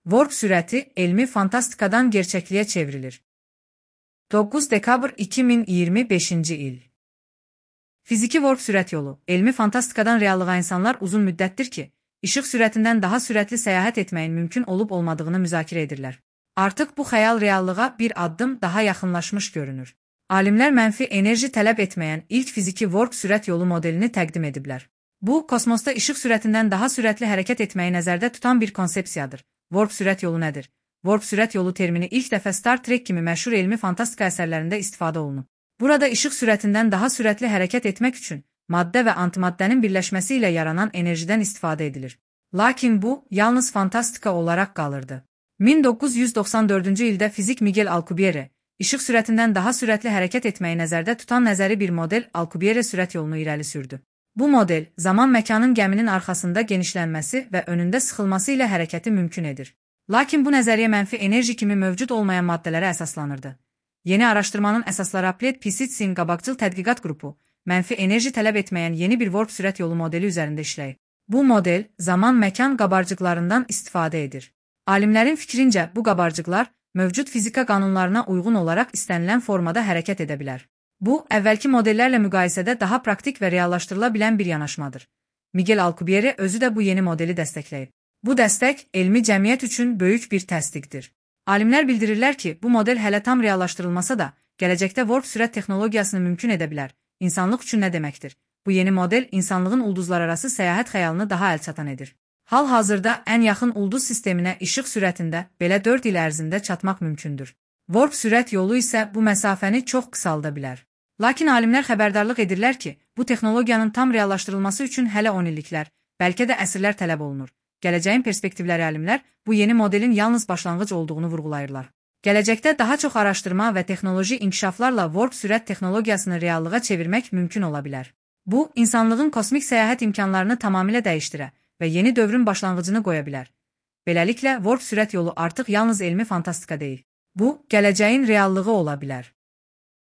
Warp sürəti elmi fantastikadan gerçəkliyə çevrilir. 9 dekabr 2025-ci il. Fiziki warp sürət yolu, elmi fantastikadan reallığa insanlar uzun müddətdir ki, işıq sürətindən daha sürətli səyahət etməyin mümkün olub-olmadığını müzakirə edirlər. Artıq bu xəyal reallığa bir addım daha yaxınlaşmış görünür. Alimlər mənfi enerji tələb etməyən ilk fiziki warp sürət yolu modelini təqdim ediblər. Bu, kosmosda işıq sürətindən daha sürətli hərəkət etməyi nəzərdə tutan bir konsepsiyadır. Warp sürət yolu nədir? Warp sürət yolu termini ilk dəfə Star Trek kimi məşhur elmi fantastika əsərlərində istifadə olunub. Burada işıq sürətindən daha sürətli hərəkət etmək üçün maddə və antimaddənin birləşməsi ilə yaranan enerjidən istifadə edilir. Lakin bu, yalnız fantastika olaraq qalırdı. 1994-cü ildə fizik Miguel Alcubierre, işıq sürətindən daha sürətli hərəkət etməyi nəzərdə tutan nəzəri bir model Alcubierre sürət yolunu irəli sürdü. Bu model, zaman-məkanın gəminin arxasında genişlənməsi və önündə sıxılması ilə hərəkəti mümkün edir. Lakin bu nəzəriyyə mənfi enerji kimi mövcud olmayan maddələrə əsaslanırdı. Yeni araşdırmanın əsasları Applied Physics'in qabaqcıl tədqiqat qrupu, mənfi enerji tələb etməyən yeni bir warp sürət yolu modeli üzərində işləyir. Bu model, zaman-məkan qabarcıqlarından istifadə edir. Alimlərin fikrincə, bu qabarcıqlar mövcud fizika qanunlarına uyğun olaraq istənilən formada hərəkət edə bilər. Bu, əvvəlki modellərlə müqayisədə daha praktik və reallaşdırıla bilən bir yanaşmadır. Miguel Alcubierre özü də bu yeni modeli dəstəkləyib. Bu dəstək, elmi cəmiyyət üçün böyük bir təsdiqdir. Alimlər bildirirlər ki, bu model hələ tam reallaşdırılmasa da, gələcəkdə warp sürət texnologiyasını mümkün edə bilər. İnsanlıq üçün nə deməkdir? Bu yeni model insanlığın ulduzlararası səyahət xəyalını daha əlçatan edir. Hal-hazırda ən yaxın ulduz sisteminə işıq sürətində belə 4 il ərzində çatmaq mümkündür. Warp sürət yolu isə bu məsafəni çox qısalda bilər. Lakin alimlər xəbərdarlıq edirlər ki, bu texnologiyanın tam reallaşdırılması üçün hələ 10 illiklər, bəlkə də əsrlər tələb olunur. Gələcəyin perspektivləri alimlər bu yeni modelin yalnız başlanğıc olduğunu vurğulayırlar. Gələcəkdə daha çox araşdırma və texnoloji inkişaflarla warp sürət texnologiyasını reallığa çevirmək mümkün ola bilər. Bu, insanlığın kosmik səyahət imkanlarını tamamilə dəyişdirə və yeni dövrün başlanğıcını qoya bilər. Beləliklə, warp sürət yolu artıq yalnız elmi fantastika deyil. Bu, gələcəyin reallığı ola bilər.